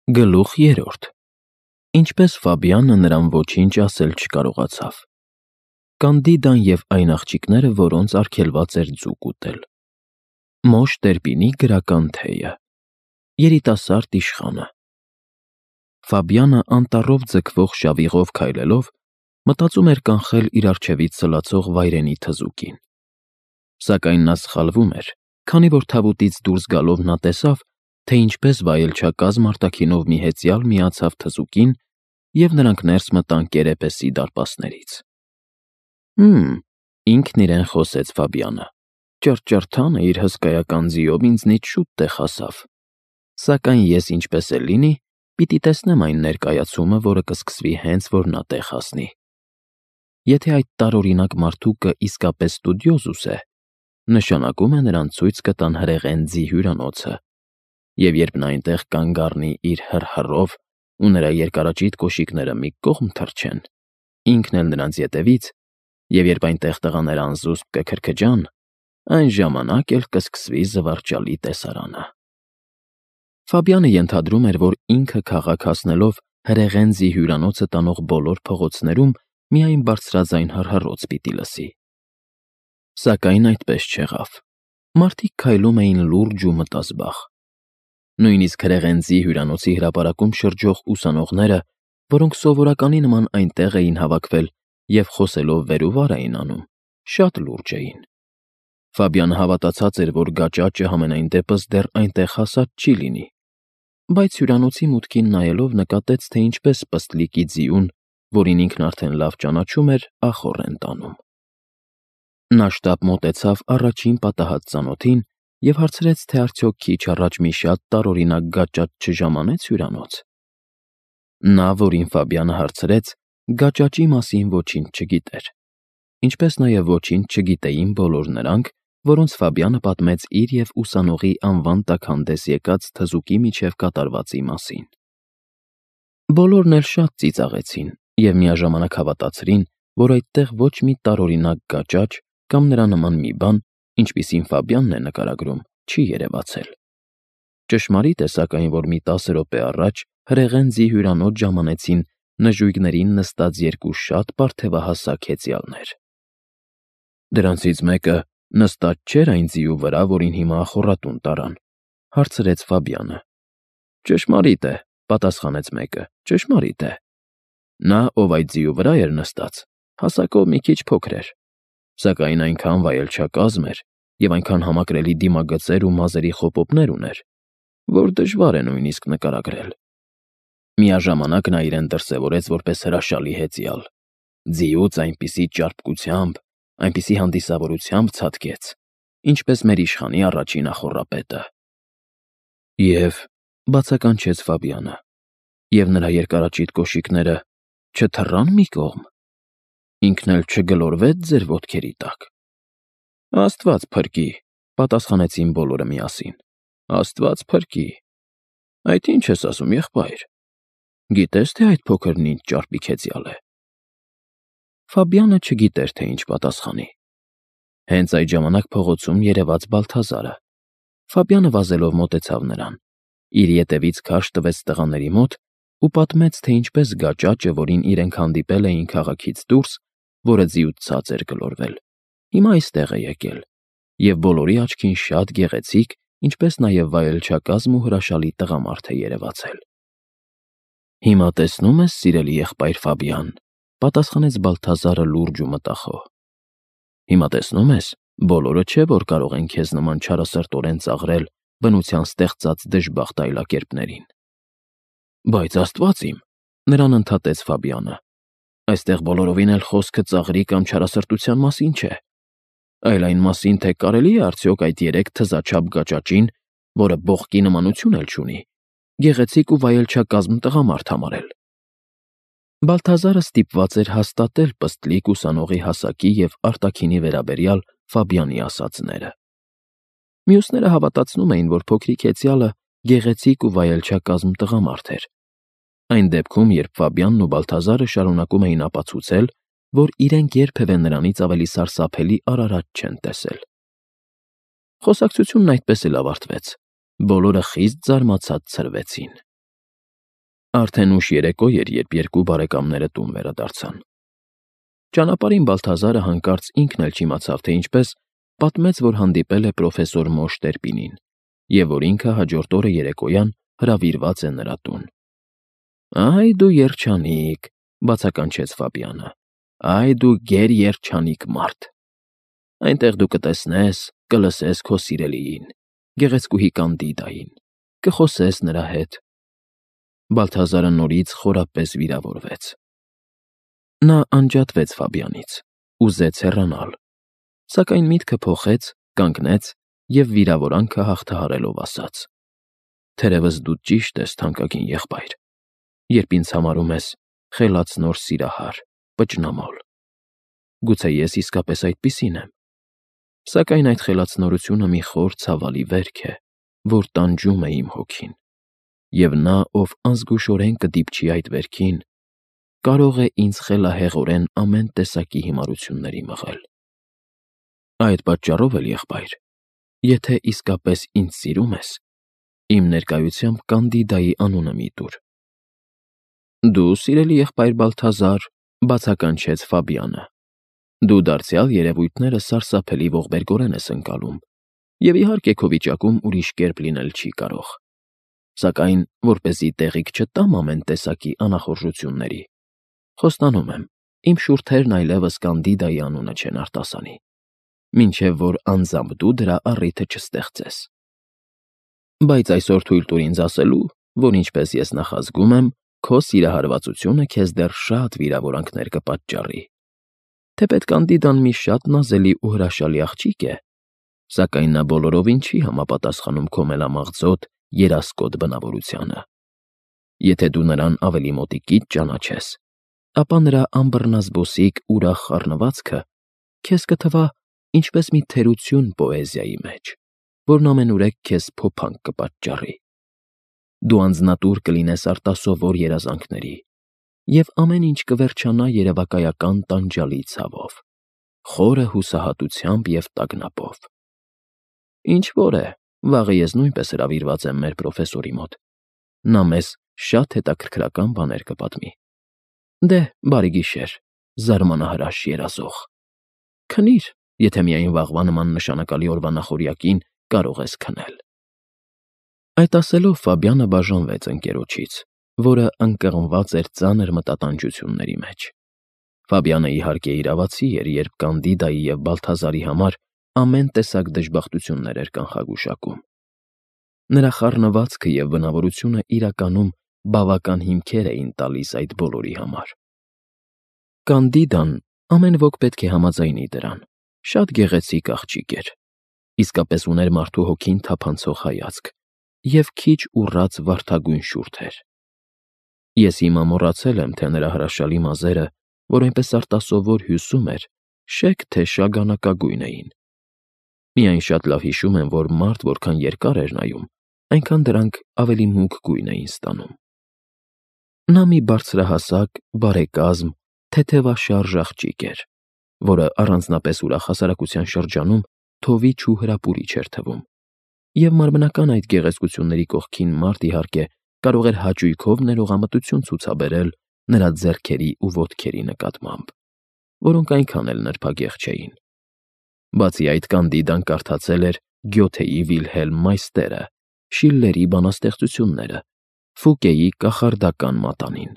Գլուխ 3. Ինչպես Ֆաբիանը նրան ոչինչ ասել չկարողացավ։ Կանդիդան և այն աղջիկները, որոնց արգելված էր ձուկ ուտել։ Մոշ Տերպինի գրական թեյը։ Երիտասարդ իշխանը։ Ֆաբիանը անտառով ձգվող շավիղով քայլելով մտածում էր կանխել իր առջևից սլացող վայրենի թզուկին։ Սակայն նա սխալվում էր, քանի որ թավուտից դուրս գալով նա տեսավ, թե ինչպես վայելչակազմ արտաքինով մի հեծյալ միացավ թզուկին, և նրանք ներս մտան կերեպեսի դարպասներից։ Ինքն իրեն խոսեց Ֆաբիանը։ Ճռճռթանը իր հսկայական ձիով ինձնից շուտ տեղ հասավ։ Սակայն ես ինչպես էլ լինի, պիտի տեսնեմ այն ներկայացումը, որը կսկսվի հենց որ նա տեղ հասնի։ Եթե այդ տարօրինակ մարդուկը իսկապես ստուդիոզուս է, նշանակում է նրան ցույց կտան հրեղեն ձի հյուրանոցը, և երբ նա այնտեղ կանգ առնի իր հռհռով ու նրա երկարաճիտ կոշիկները մի կողմ թռչեն, ինքն էլ նրանց ետևից, և երբ այնտեղ տղաները անզուսպ կքրքջան, այն ժամանակ էլ կսկսվի զվարճալի տեսարանը։ Ֆաբիանը ենթադրում էր, որ ինքը քաղաք հասնելով հրեղեն ձի հյուրանոցը տանող բոլոր փողոցներում միայն բարձրաձայն հռհռոց պիտի լսի։ Սակայն այդպես չեղավ։ Մարդիկ քայլում էին լուրջ ու մտազբաղ։ Նույնիսկ հրեղեն ձի հյուրանոցի հրապարակում շրջող ուսանողները, որոնք սովորականի նման այնտեղ էին հավաքվել և խոսելով վեր ու վար էին անում, շատ լուրջ էին։ Ֆաբիանը հավատացած էր, որ գաճաճը համենայն դեպս դեռ այնտեղ հասած չի լինի, բայց հյուրանոցի մուտքին նայելով նկատեց, թե ինչպես պստլիկի ձիուն, որին ինքն արդեն լավ ճանաչում էր, ախոռ են տանում։ Նա շտապ մոտեցավ առաջին պատահած ծանոթին և հարցրեց, թե արդյոք քիչ առաջ մի շատ տարօրինակ գաճաճ չժամանեց հյուրանոց։ Նա, որին Ֆաբիանը հարցրեց, գաճաճի մասին ոչինչ չգիտեր, ինչպես նաև ոչինչ չգիտեին բոլոր նրանք, որոնց Ֆաբիանը պատմեց իր և ուսանողի անվան տակ հանդես եկած թզուկի միջև կատարվածի մասին։ Բոլորն էլ շատ ծիծաղեցին և միաժամանակ հավատացրին, որ այդտեղ ոչ մի տարօրինակ գաճաճ կամ նրա նման մի բան, ինչպիսին Ֆաբիանն է նկարագրում, չի երևացել։ Ճշմարիտ է, սակայն, որ մի 10 րոպե առաջ հրեղեն ձի հյուրանոց ժամանեցին նժույգներին նստած երկու շատ պարթևահասակ հեծյալներ։ Դրանցից մեկը նստած չէր այն ձիու վրա, որին հիմա ախոռատուն տարան, հարցրեց Ֆաբիանը։ Ճշմարիտ է, պատասխանեց մեկը, ճշմարիտ է։ Նա, ով այդ ձիու վրա էր նստած, հասակով մի քիչ փոքր էր, սակայն այնքան վայելչակազմ էր և այնքան համակրելի դիմագծեր ու մազերի խոպոպներ ուներ, որ դժվար է նույնիսկ նկարագրել։ Միաժամանակ նա իրեն դրսևորեց որպես հրաշալի հեծյալ։ Ձիուց այնպիսի ճարպկությամբ, այնպիսի հանդիսավորությամբ ցատկեց, ինչպես մեր իշխանի առաջին ախոռապետը։ Եվ բացականչեց Ֆաբիանը, և նրա երկարաճիտ կոշիկները չթռան մի կողմ, ինքն էլ չգլորվեց ձեր ոտքերի տակ։ Աստված փրկի, պատասխանեցին բոլորը միասին։ Աստված փրկի։ Այդ ի՞նչ ես ասում, եղբայր։ Գիտես, թե այդ փոքրն ինչ ճարպիկ հեծյալ է։ Ֆաբիանը չգիտեր, թե ինչ պատասխանի։ Հենց այդ ժամանակ փողոցում երևաց Բալթազարը։ Ֆաբիանը վազելով մոտեցավ նրան, իր ետևից քարշ տվեց տղաների մոտ ու պատմեց, թե ինչպես գաճաճը, որին իրենք հանդիպել էին քաղաքից դուրս, որը ձիուց ցած էր գլորվել, հիմա այստեղ է եկել, և բոլորի աչքին շատ գեղեցիկ, ինչպես նաև վայելչակազմ ու հրաշալի տղամարդ է երևացել։ Հիմա տեսնում ես, սիրելի եղբայր Ֆաբիան, պատասխանեց Բալթազարը լուրջ ու մտախոհ։ Հիմա տեսնում ես, բոլորը չէ, որ կարող են քեզ նման չարասրտորեն ծաղրել բնության ստեղծած դժբախտ այլակերպներին։ Բայց Աստված իմ, նրան ընդհատեց Ֆաբիանը, այստեղ բոլորովին էլ խոսքը ծաղրի կամ չարասրտության մասին չէ, այլ այն մասին, թե կարելի է արդյոք այդ 3 թզաչափ գաճաճին, որը բողկի նմանություն էլ չունի, գեղեցիկ ու վայելչակազմ տղամարդ համարել։ Բալթազարը ստիպված էր հաստատել պստլիկ ուսանողի հասակի և արտաքինի վերաբերյալ Ֆաբիանի ասածները։ Մյուսները հավատացնում էին, որ փոքրիկ հեծյալը գեղեցիկ ու վայելչակազմ տղամարդ էր։ Այն դեպքում, երբ Ֆաբիանն ու Բալթազարը շարունակում էին ապացուցել, որ իրենք երբևէ նրանից ավելի սարսափելի արարած չեն տեսել։ Խոսակցությունն այդպես էլ ավարտվեց։ Բոլորը խիստ զարմացած ցրվեցին։ Արդեն ուշ երեկո էր, երբ երկու բարեկամները տուն վերադարձան։ Ճանապարհին Բալթազարը հանկարծ ինքն էլ չիմացավ, թե ինչպես պատմեց, որ հանդիպել է պրոֆեսոր Մոշ Տերպինին, և որ ինքը հաջորդ օրը երեկոյան հրավիրված է նրա տուն։ «Այ դու երջանիկ», բացականչեց Ֆաբիանը, «այ դու գերերջանիկ մարդ։ Այնտեղ դու կտեսնես, կլսես քո սիրելիին, գեղեցկուհի Կանդիդային, կխոսես նրա հետ»։ Բալթազարը նորից խորապես վիրավորվեց։ Նա անջատվեց Ֆաբիանից, ուզեց հեռանալ, սակայն միտքը փոխեց, կանգնեց և վիրավորանքը հաղթահարելով ասաց. «Թերևս դու ճիշտ ես, թանկագին եղբայր, երբ ինձ համարում ես խելացնոր սիրահար, պճնամոլ։ Գուցե ես իսկապես այդպիսին եմ, սակայն այդ խելացնորությունը մի խոր ցավալի վերք է, որ տանջում է իմ հոգին, և նա, ով անզգուշորեն կդիպչի այդ վերքին, կարող է ինձ խելահեղորեն ամեն տեսակի հիմարությունների մղել։ Այդ պատճառով էլ, եղբայր, եթե իսկապես ինձ սիրում ես, իմ ներկայությամբ Կանդիդայի անունը մի տուր»։ «Դու, սիրելի եղբայր Բալթազար», բացականչեց Ֆաբիանը, «դու դարձյալ երևույթները սարսափելի ողբերգորեն ես ընկալում, և իհարկե քո վիճակում ուրիշ կերպ լինել չի կարող։ Սակայն, որպեսզի տեղիք չտամ ամեն տեսակի անախորժությունների, խոստանում եմ, իմ շուրթերն այլևս Կանդիդայի անունը չեն արտասանի, մինչև որ անձամբ դու դրա առիթը չստեղծես։ Բայց այսօր թույլ տուր ինձ ասելու, որ ինչպես ես նախազգում եմ, քո սիրահարվածությունը քեզ դեռ շատ վիրավորանքներ կպատճառի։ Թեպետ Կանդիդան մի շատ նազելի ու հրաշալի աղջիկ է, սակայն նա բոլորովին չի համապատասխանում քո մելամաղձոտ, երասկոտ բնավորությանը։ Եթե դու նրան ավելի մոտիկից ճանաչես, ապա նրա անբռնազբոսիկ ուրախ խառնվածքը քեզ կթվա ինչպես մի թերություն պոեզիայի մեջ, որն ամենուրեք քեզ փոփանք կպատճառի։ Դու անձնատուր կլինես արտասովոր երազանքների, և ամեն ինչ կվերջանա երևակայական տանջալի ցավով, խորը հուսահատությամբ և տագնապով։ Ինչ որ է, վաղը ես նույնպես հրավիրված եմ մեր պրոֆեսորի մոտ։ Նա մեզ շատ հետաքրքրական բաներ կպատմի։ Դե, բարի գիշեր, զարմանահրաշ երազող։ Քնիր, եթե միայն վաղվա նման նշանակալի օրվա նախօրյակին կարող ես քնել»։ Այդ ասելով Ֆաբիանը բաժանվեց ընկերոջից, որը ընկղմված էր ծանր մտատանջությունների մեջ։ Ֆաբիանը իհարկե իրավացի էր, երբ Կանդիդայի և Բալթազարի համար ամեն տեսակ դժբախտություններ էր կանխագուշակում։ Նրա խառնվածքը և բնավորությունը իրականում բավական հիմքեր էին տալիս այդ բոլորի համար։ Կանդիդան, ամեն ոք պետք է համաձայնի դրան, շատ գեղեցիկ աղջիկ էր, իսկապես ուներ մարդու հոգին թափանցող հայացք և քիչ ուռած վարդագույն շուրթ էր։ Ես հիմա մոռացել եմ, թե նրա հրաշալի մազերը, որ այնպես արտասովոր հյուսում էր, շեկ թե շագանակագույն էին։ Միայն շատ լավ հիշում եմ, որ մարդ որքան երկար էր նայում, այնքան դրանք ավելի մուգ գույն էին ստանում։ Նա մի բարձրահասակ, բարեկազմ, թեթևաշարժ աղջիկ էր, որը առանձնապես ուրախ հասարակության շրջանում թովիչ ու հրապուրիչ էր թվում, և մարմնական այդ գեղեցկությունների կողքին մարդ, իհարկե, կարող էր հաճույքով ներողամտություն ցուցաբերել նրա ձեռքերի ու ոտքերի նկատմամբ, որոնք այնքան էլ նրբագեղ չէին։ Բացի այդ, Կանդիդան կարդացել էր Գյոթեի Վիլհելմ Մայստերը, Շիլլերի բանաստեղծությունները, Ֆուկեի կախարդական մատանին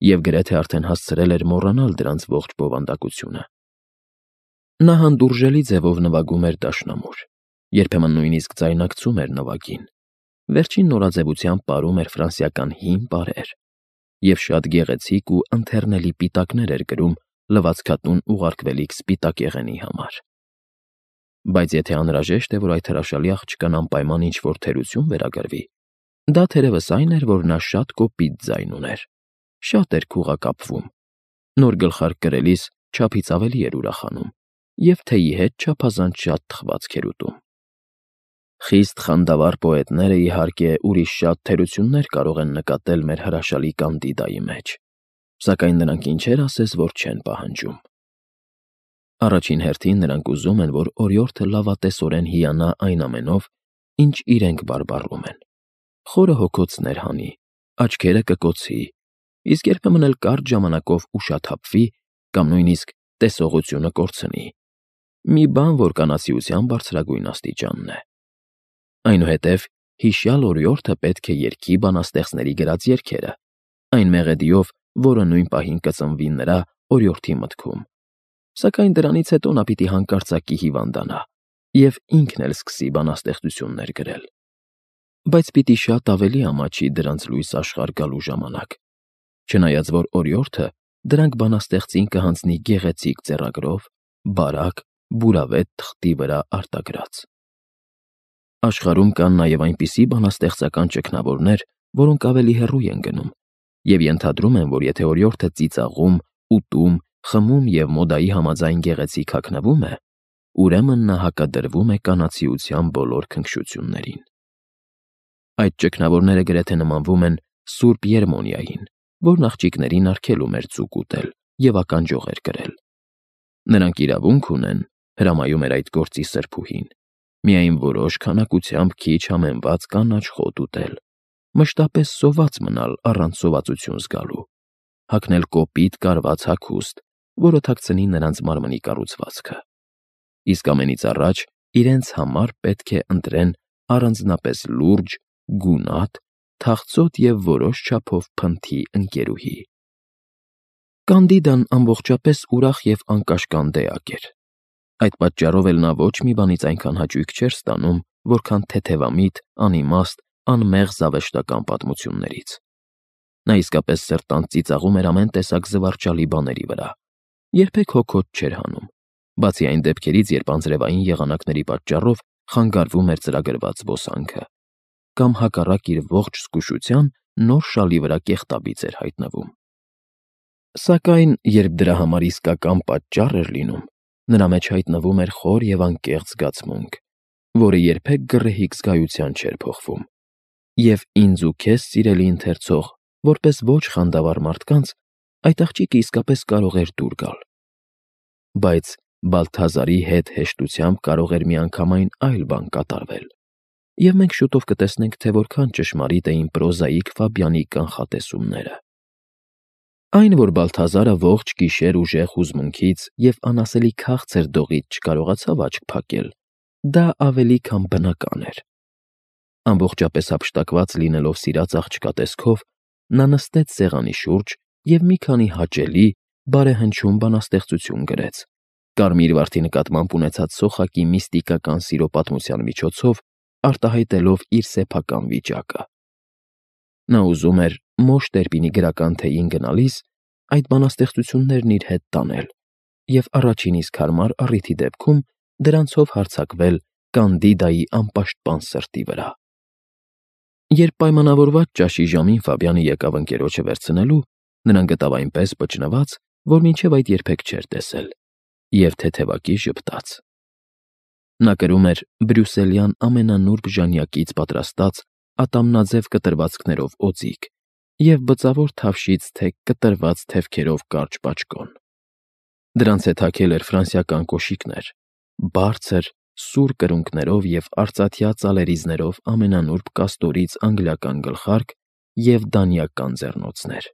և գրեթե արդեն հասցրել էր մոռանալ դրանց ողջ բովանդակությունը։ Նա հանդուրժելի ձևով նվագում էր դաշնամուր, երբեմն նույնիսկ ձայնարկծում էր նվագին, վերջին նորաձևությամբ պարում էր ֆրանսիական հին պարեր և շատ գեղեցիկ ու ընթեռնելի պիտակներ էր կրում լվացքատուն ուղարկվելիք սպիտակ եղենի համար։ Բայց եթե անհրաժեշտ է, որ այդ հրաշալի աղջկան անպայման ինչ-որ թերություն վերագրվի, դա թերևս այն էր, որ նա շատ կոպիտ ձայն ուներ, շատ էր քուղակապվում, նոր գլխարկ կրելիս չափից ավելի էր ուրախանում և թեյի հետ չափազանց շատ թխվածք էր ուտում։ Խիստ խանդավառ պոետները, իհարկե, ուրիշ շատ թերություններ կարող են նկատել մեր հրաշալի Կանդիդայի մեջ, սակայն նրանք ինչեր ասես, որ չեն պահանջում։ Առաջին հերթին նրանք ուզում են, որ օրիորդը լավատեսորեն հիանա այն ամենով, ինչ իրենք բարբառում են, խորը հոգոցներ հանի, Աչքերը կկոցի, իսկ երբեմն էլ կարճ ժամանակով ուշաթափվի կամ նույնիսկ տեսողությունը կորցնի։ Մի բան, որ կանացիության բարձրագույն աստիճանն է։ Այնուհետև հիշյալ օրիորդը պետք է երգի բանաստեղծների գրած երգերը, այն մեղեդիով, որը նույն պահին կծնվի նրա օրիորդի մտքում։ Սակայն դրանից հետո նա պիտի հանկարծակի հիվանդանա և ինքն էլ սկսի բանաստեղծություններ գրել։ Բայց պիտի շատ ավելի ամաչի դրանց լույս աշխարհ գալու ժամանակ, չնայած որ օրիորդը դրանք բանաստեղծին կհանձնի գեղեցիկ ձեռագրով, բարակ, բուրավետ թղթի վրա արտագրած։ Աշխարհում կան նաև այնպիսի բանաստեղծական ճգնավորներ, որոնք ավելի հեռու են գնում և ենթադրում են, որ եթե օրիորդը ծիծաղում, ուտում, խմում և մոդայի համաձայն գեղեցիկ հագնվում է, ուրեմն նա հակադրվում է կանացիության բոլոր քնքշություններին։ Այդ ճգնավորները գրեթե նմանվում են Սուրբ Երմոնիային, որն աղջիկներին արգելում էր ձուկ ուտել և ականջողեր կրել։ Նրանք իրավունք ունեն, հրամայում էր այդ գործի սրբուհին, միայն որոշ քանակությամբ քիչ համեմված կանաչ խոտ ուտել, մշտապես սոված մնալ առանց սովածություն զգալու, հագնել կոպիտ կարված հագուստ, որը թաքցնի նրանց մարմնի կառուցվածքը, իսկ ամենից առաջ իրենց համար պետք է ընտրեն առանձնապես լուրջ, գունատ, թախծոտ և որոշ չափով փնթի ընկերուհի։ Կանդիդան ամբողջապես ուրախ և անկաշկանդ էակ էր։ Այդ պատճառով էլ նա ոչ մի բանից այնքան հաճույք չէր ստանում, որքան թեթևամիտ, անիմաստ, անմեղ զավեշտական պատմություններից։ Նա իսկապես սրտանց ծիծաղում էր ամեն տեսակ զվարճալի բաների վրա, երբեք հոգոց չէր հանում, բացի այն դեպքերից, երբ անձրևային եղանակների պատճառով խանգարվում էր ծրագրված զբոսանքը, կամ հակառակ իր ողջ զգուշության նոր շալի վրա կեղտաբիծ էր հայտնվում։ Սակայն, երբ դրա համար իսկական պատճառ էր լինում, նրա մեջ հայտնվում էր խոր և անկեղծ զգացմունք, որը երբեք գռեհիկ զգայության չէր փոխվում, և ինձ ու քեզ, սիրելի ընթերցող, որպես ոչ խանդավառ մարդկանց, այդ աղջիկը իսկապես կարող էր դուր գալ։ Բայց Բալթազարի հետ հեշտությամբ կարող էր միանգամայն այլ բան կատարվել, և մենք շուտով կտեսնենք, թե որքան ճշմարիտ էին պրոզաիկ Ֆաբյանի կանխատեսումները։ Այն, որ Բալթազարը ողջ գիշեր ուժեղ հուզմունքից և անասելի քաղցր դողից չկարողացավ աչք փակել, դա ավելի քան բնական էր։ Ամբողջապես հափշտակված լինելով սիրած աղջկա տեսքով, նա նստեց սեղանի շուրջ և մի քանի հաճելի, բարեհնչում բանաստեղծություն գրեց, կարմիր վարդի նկատմամբ ունեցած սոխակի միստիկական սիրո պատմության միջոցով արտահայտելով իր սեփական վիճակը։ Նա ուզում էր Մոշ Տերպինի գրական թեյին գնալիս այդ բանաստեղծություններն իր հետ տանել և առաջին իսկ հարմար առիթի դեպքում դրանցով հարձակվել Կանդիդայի անպաշտպան սրտի վրա։ Երբ պայմանավորված ճաշի ժամին Ֆաբյանը եկավ ընկերոջը վերցնելու, նրան գտավ այնպես բջնված, որ մինչև այդ երբեք չէր տեսել, և թեթևակի ժպտաց։ Նա կրում էր բրյուսելյան ամենանուրբ ժանյակից պատրաստած ատամնաձև կտրվածքներով օձիք և բծավոր թավշից կտրված թևքերով կարճ բաճկոն։ Դրանց հետ հագել էր ֆրանսիական կոշիկներ, բարձր, սուր կրունկներով և արծաթյա ծալերիզներով ամենանուրբ կաստորից անգլիական գլխարկ և դանիական ձեռնոցներ։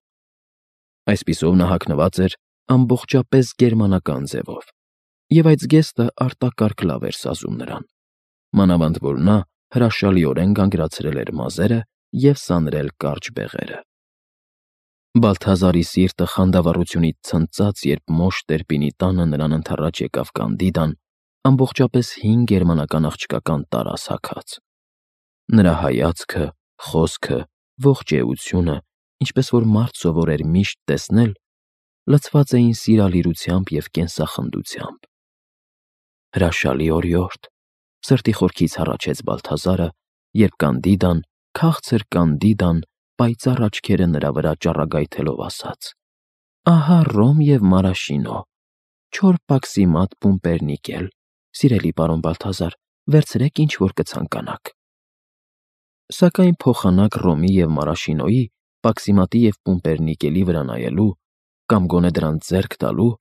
Այսպիսով նա հագնված էր ամբողջապես գերմանական ձևով, և այդ զգեստը արտակարգ լավ էր սազում նրան, մանավանդ որ նա հրաշալիորեն գանգրացրել էր մազերը և սանրել կարճ բեղերը։ Բալթազարի սիրտը խանդավառությունից ցնծաց, երբ Մոշ Տերպինի տանը նրան ընդառաջ եկավ Կանդիդան ամբողջապես հին գերմանական աղջկական տարաս հագած։ Նրա հայացքը, խոսքը, ողջ էությունը, ինչպես որ մարդ սովոր էր միշտ տեսնել, լցված էին սիրալիրությամբ և կենսախնդությամբ։ Հրաշալի օրիորդ, սրտի խորքից հառաչեց Բալթազարը, երբ Կանդիդան, քաղցր Կանդիդան, պայծառ աչքերը նրա վրա ճառագայթելով ասաց. «Ահա ռոմ և մարաշինո, չոր պաքսիմատ պումպերնիկել, սիրելի պարոն Բալթազար, վերցրեք, ինչ որ կցանկանաք»։ Սակայն փոխանակ ռոմի և մարաշինոյի, պաքսիմատի և պումպերնիկելի վրա նայելու, կամ գոնե դրանց ձեռք տալու,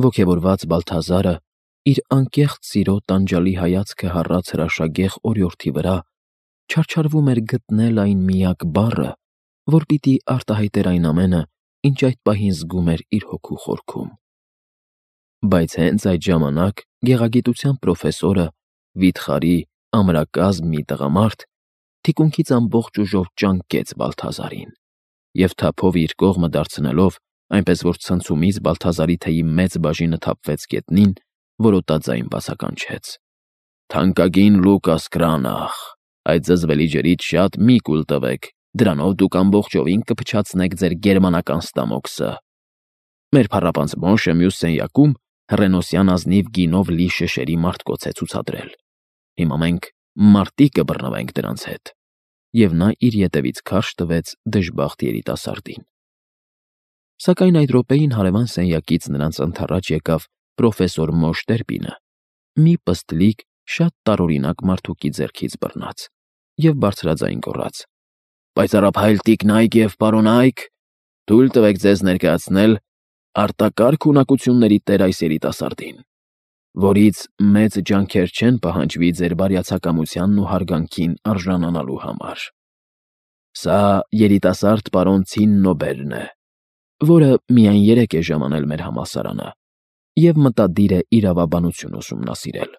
ոգևորված Բալթազարը իր անկեղծ սիրո տանջալի հայացքը հառած հրաշագեղ օրիորդի վրա չարչարվում էր գտնել այն միակ բառը, որ պիտի արտահայտեր այն ամենը, ինչ այդ պահին զգում էր իր հոգու խորքում։ Բայց հենց այդ ժամանակ գեղագիտության պրոֆեսորը, վիթխարի, ամրակազմ մի տղամարդ, թիկունքից ամբողջ ուժով ճանկեց Բալթազարին և թափով իր կողմը դարձնելով, այնպես որ ցնցումից Բալթազարի թեյի մեծ բաժինը թափվեց գետնին, որոտաձայն բացականչեց. «Թանկագին Լուկաս Կրանախ, այդ զզվելի ջրից շատ մի կուլ տվեք, դրանով դուք ամբողջովին կփչացնեք ձեր գերմանական ստամոքսը։ Մեր փառապանծ Մոշը մյուս սենյակում հռենոսյան ազնիվ գինով լի շշերի մարտկոց է ցուցադրել։ Հիմա մենք մարտի կբռնվենք դրանց հետ»։ Եվ նա իր ետևից քարշ տվեց դժբախտ երիտասարդին։ Սակայն այդ րոպեին հարևան սենյակից նրանց ընդառաջ եկավ պրոֆեսոր Մոշ Տերպինը, մի պստլիկ, շատ տարօրինակ մարդուկի ձեռքից բռնած, և բարձրաձայն գոռաց. «Պայծառափայլ տիկնայք և պարոն Այք, թույլ տվեք ձեզ ներկայացնել արտակարգ ունակությունների տեր այս երիտասարդին, որից մեծ ջանքեր չեն պահանջվի ձեր բարյացակամությանն ու հարգանքին արժանանալու համար։ Սա երիտասարդ պարոն Ցիննոբերն է, որը միայն 3 է ժամանել մեր համալսարանը և մտադիր է իրավաբանություն ուսումնասիրել։